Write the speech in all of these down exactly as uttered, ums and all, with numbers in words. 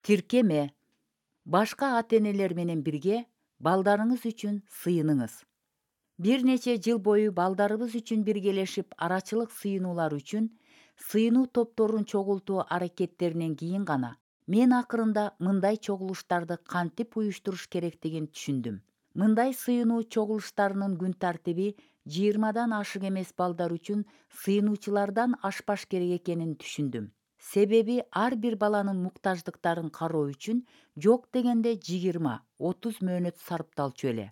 Тиркеме. Башка ата-энелер менен бирге балдарыңыз үчүн сыйыныңыз. Бир нече жыл бою балдарыбыз үчүн биргелешип арачылык сыйынуулар үчүн сыйынуу топторун чогултуу аракеттеринен кийин гана мен акырында мындай чогулуштарды кантип уюштуруш керектигин түшүндүм. Мындай сыйынуу чогулуштарынын күн тартиби жыйырмадан ашык эмес балдар үчүн сыйынуучулардан ашпаш керек экенин түшүндүм. Себеби ар бир баланын муктаждыктарын кароо үчүн жок дегенде жыйырма отуз мөөнөт сарпталчу эле.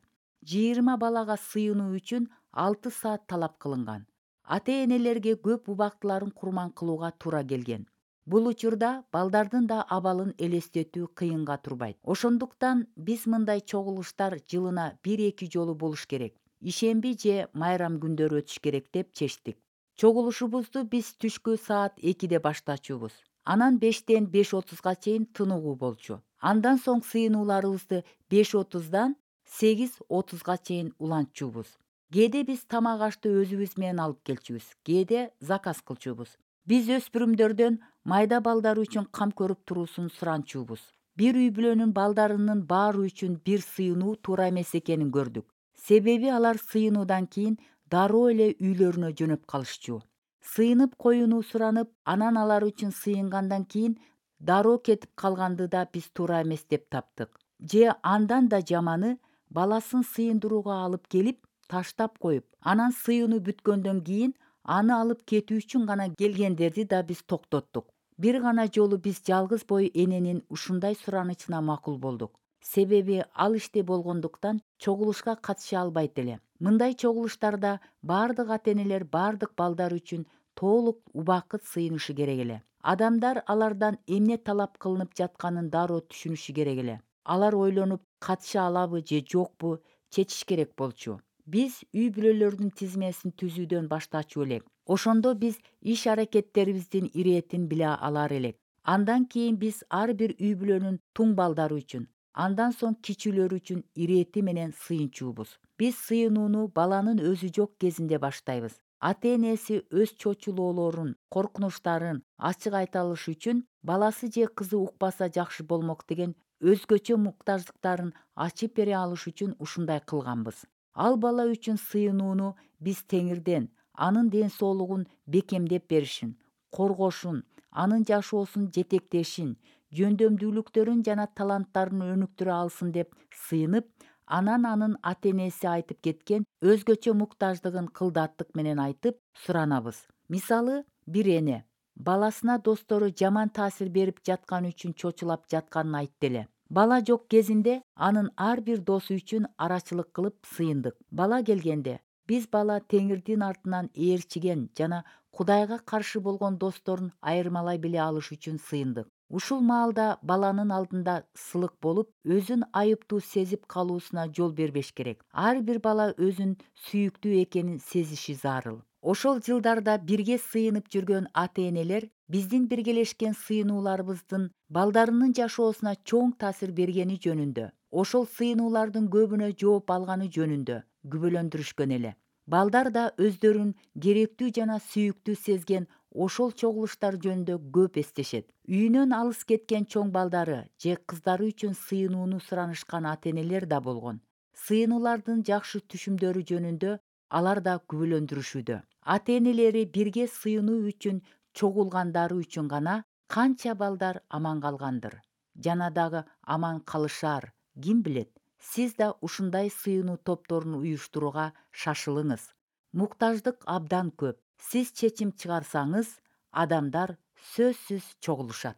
жыйырма балага сыйынуу үчүн алты саат талап кылынган. Ата-энелерге көп убактыларын курман кылууга туура келген. Бул учурда балдардын да абалын элестетүү кыйынга турбайт. Ошондуктан биз мындай чогулуштар жылына бир-эки жолу болуш керек. Ишемби же майрам күндөрү өтүш керек деп чечтик. Чогулушубузду биз түшкү саат экиде баштачубуз. Анан бештен беш отузга чейин тыныгуу болчу. Андан соң сыйынууларыбызды беш отуздан сегиз отузга чейин улантчубуз. Кээде биз тамак ашты өзүбүз менен алып келчүбүз, кээде заказ кылчубуз. Биз өспүрүмдөрдөн майда балдар үчүн кам көрүп туруусун суранчубуз. Бир үй бүлөнүн балдарынын баары үчүн бир сыйынуу туура эмес экенин көрдүк. Себеби алар сыйынуудан кийин дароо эле үйлөрүнө жөнөп калышчу. Сыйынып коюуну суранып, анан алар үчүн сыйынгандан кийин дароо кетип калганды да биз туура эмес деп таптык. Же андан да жаманы, баласын сыйындырууга алып келип, таштап коюп, анан сыйынуу бүткөндөн кийин аны алып кетүү үчүн гана келгендерди да биз токтоттук. Бир гана жолу биз жалгыз бой эненин ушундай суранычына макул болдук. Себеби ал иште болгондуктан чогулушка катыша албайт эле. Мындай чогулуштарда баардык ата-энелер баардык балдар үчүн толук убакыт сыйынышы керек эле. Адамдар алардан эмне талап кылынып жатканын дароо түшүнүшү керек эле. Алар ойлонуп, катыша алабы же жокпу чечиш керек болчу. Биз үй бүлөлөрдүн тизмесин түзүүдөн баштачу элек. Ошондо биз иш аракеттерибиздин иретин биле алар элек. Андан кийин биз ар бир үй бүлөнүн туң балдары үчүн, андан соң кичүүлөр үчүн ирети менен сыйынчубуз. Биз сыйынууну баланын өзү жок кезинде баштайбыз. Ата-энеси өз чочулоолорун, коркунучтарын ачык айта алыш үчүн баласы же кызы укпаса жакшы болмок деген өзгөчө муктаждыктарын ачып бере алыш үчүн ушундай кылганбыз. Ал бала үчүн сыйынууну биз Теңирден анын ден соолугун бекемдеп беришин, коргошун, анын жашоосун жетектешин, жөндөмдүүлүктөрүн жана таланттарын өнүктүрө алсын деп сыйынып, анан анын ата-энеси айтып кеткен өзгөчө муктаждыгын кылдаттык менен айтып суранабыз. Мисалы, бир эне баласына достору жаман таасир берип жатканы үчүн чочулап жатканын айтты эле. Бала жок кезинде анын ар бир досу үчүн арачылык кылып сыйындык. Бала келгенде биз бала Теңирдин артынан ээрчиген жана Кудайга каршы болгон досторун айырмалай биле алыш үчүн сыйындык. Ушул маалда баланын алдында сылык болуп, өзүн айыптуу сезип калуусуна жол бербеш керек. Ар бир бала өзүн сүйүктүү экенин сезиши зарыл. Ошол жылдарда бирге сыйынып жүргөн ата-энелер биздин биргелешкен сыйынууларыбыздын балдарынын жашоосуна чоң таасир бергени жөнүндө, ошол сыйынуулардын көбүнө жооп алганы жөнүндө күбөлөндүрүшкөн эле. Балдар да өздөрүн керектүү жана сүйүктүү сезген ошол чогулуштар жөнүндө көп эстешет. Үйүнөн алыс кеткен чоң балдары же кыздары үчүн сыйынууну суранышкан ата-энелер да болгон. Сыйынуулардын жакшы түшүмдөрү жөнүндө алар да күбөлөндүрүшүүдө. Ата-энелери бирге сыйынуу үчүн чогулгандары үчүн гана канча балдар аман калгандыр, жана дагы аман калышар, ким билет. Сиз да ушундай сыйынуу топторун уюштурууга шашылыңыз. Муктаждык абдан көп. Сиз чечим чыгарсаңыз, адамдар сөзсүз чогулушат.